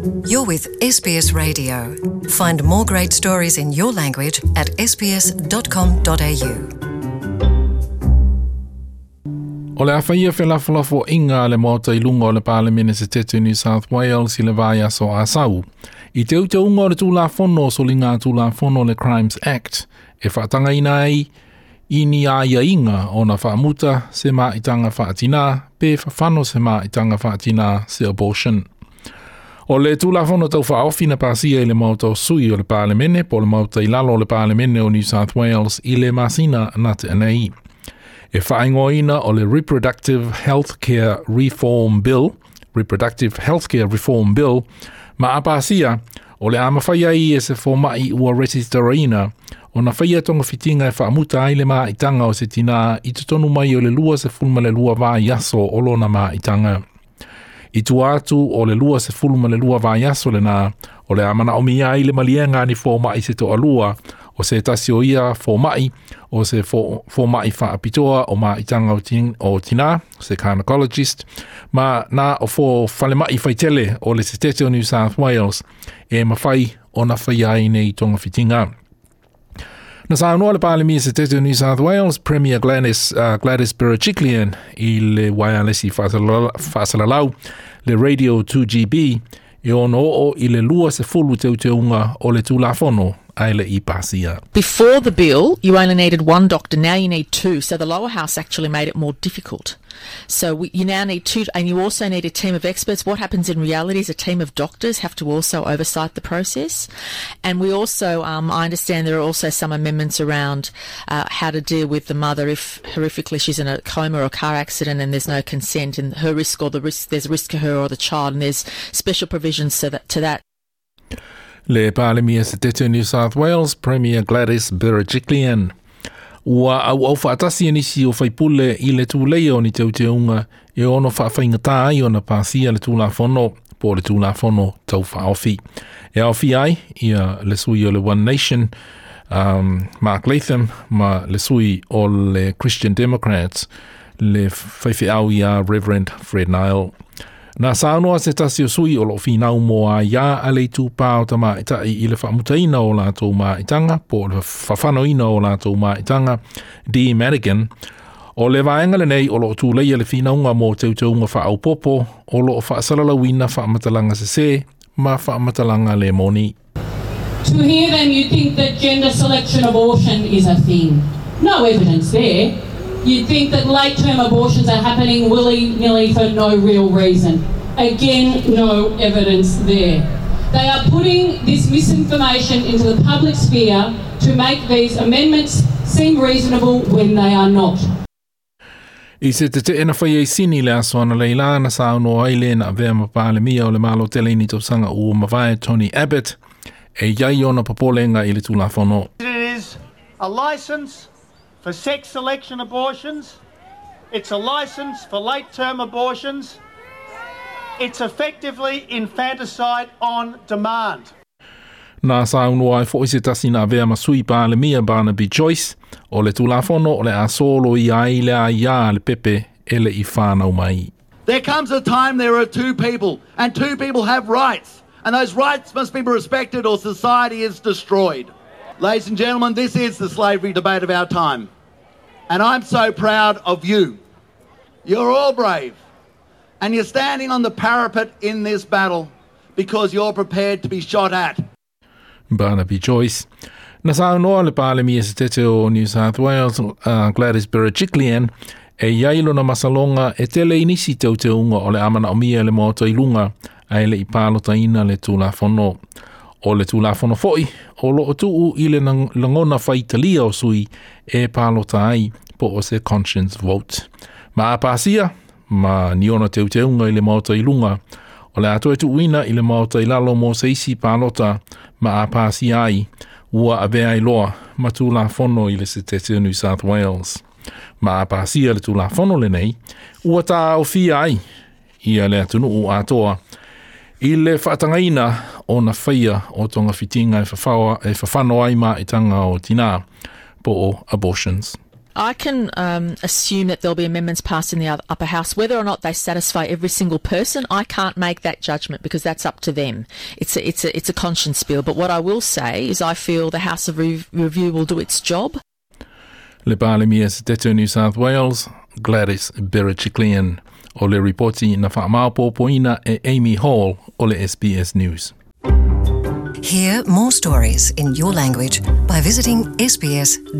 You're with SBS Radio. Find more great stories in your language at sbs.com.au. O le a faia felafolafoaiga a le Maota i luga o le Palemene Setete o New South Wales i le vaiaso Asau, i teuteuga o le Tulafono o Soliga Tulafono le Crimes Act e faatagaina ai i ni aiaiga ona faamuta se maitaga faatinā pe fafano se maitaga faatinā se abortion. O le Tulafono Tau Faaofi na pasia i le Maota o Sui o le Palemene po o le Maota i lalo o le Palemene o New South Wales i le masina na tea nei. E faaigoaina o le Reproductive Healthcare Reform Bill, Reproductive Healthcare Reform Bill, ma a pasia, o le a mafai ai e se fomai ua resitaraina ona faia togafitiga e faamuta ai le maitaga o se tinā i totonu mai o le 22 vaiaso o lona maitaga. I tua atu o le 22 vaiaso lenā, o le a manaomia ai le maliega a ni fomai se toalua, o se tasi o ia fomai, o se fomai faapitoa o maitaga o tinā, se gynecologist, ma na o fo falemai faitele o le setete o New South Wales e mafai ona faia ai nei togafitiga. Na saunoa le Palemia Setete o New South Wales, Premier Gladys, Gladys Berejiklian i le waialesi faasalalau le Radio 2GB e ono oo i le 20 teuteuga o le Tulafono ae le i pasia. Before the bill, you only needed one doctor. Now you need two. So the lower house actually made it more difficult. So you now need two, and you also need a team of experts. What happens in reality is a team of doctors have to also oversight the process. And we also, I understand there are also some amendments around how to deal with the mother if horrifically she's in a coma or a car accident and there's no consent, and her risk or the risk, there's a risk to her or the child, and there's special provisions to that. Le Palemia Setete New South Wales, Premier Gladys Berejiklian. Ua auau faatasi e nisi o faipule i le tuleia o ni teuteuga e ono faafaigatā ai ona pasia le Tulafono po o le Tulafono Tau Faaofi. E aofia ai ia le sui o le One Nation, Mark Latham, ma le sui o le Christian Democrats, le faifeau ia Reverend Fred Nile. Na saunoa se tasi o sui o loo finau mo aiā a le itupa o tamaitai i le faamutaina o latou maitaga po o le fafanoina o latou maitaga, Dee Madigan, o le vaega lenei o loo tuleia le finauga mo teuteuga faaopoopo o loo faasalalauina faamatalaga sesē ma faamatalaga le moni. To hear them, you'd think that gender selection abortion is a thing. No evidence there. You'd think that late-term abortions are happening willy-nilly for no real reason. Again, no evidence there. They are putting this misinformation into the public sphere to make these amendments seem reasonable when they are not. I se tetee na faia i Sini le aso analeila na saunoa ai le na avea ma Palemia o le Malo tele i ni tausaga ua mavae Tony Abbott e iai ona popolega i le Tulafono. It is a licence for sex selection abortions. It's a licence for late-term abortions. It's effectively infanticide on demand. Na saunoa ai foi se tasi na avea ma sui Palemia Barnaby Joyce o le Tulafono o le a soloia ai le aiā a le pepe e le i whānau mai. There comes a time there are two people, and two people have rights, and those rights must be respected or society is destroyed. Ladies and gentlemen, this is the slavery debate of our time, and I'm so proud of you. You're all brave, and you're standing on the parapet in this battle because you're prepared to be shot at. Barnaby Joyce. Na saunoa le Palemia Setete o New South Wales, Gladys Berejiklian, e iai lona masaloga e tele i nisi teuteuga o le a manaomia e le Maota i luga ae le i palotaina le Tulafono. O le Tulafono foi o loo tuu i le lagona faitalia o sui e palota ai po o se conscience vote. Ma a pasia ma ni ona teuteuga i le Maota i luga, o le a toe tuuina i le Maota i lalo mo se isi palota ma a pasia ai ua avea ai loa ma Tulafono i le Setete o New South Wales. Ma a pasia le Tulafono lenei, ua taofia ai ia le atunuu atoa i le faatagaina ona faia o togafitiga e fafano ai maitaga o tinā po o abortions. I can assume that there'll be amendments passed in the upper house. Whether or not they satisfy every single person, I can't make that judgment because that's up to them. It's a conscience bill. But what I will say is I feel the House of Review will do its job. Le Palemia Setete New South Wales, Gladys Berejiklian. O le ripoti na whaamaopopoina e Amy Hall o le SBS News. Hear more stories in your language by visiting sbs.com.au.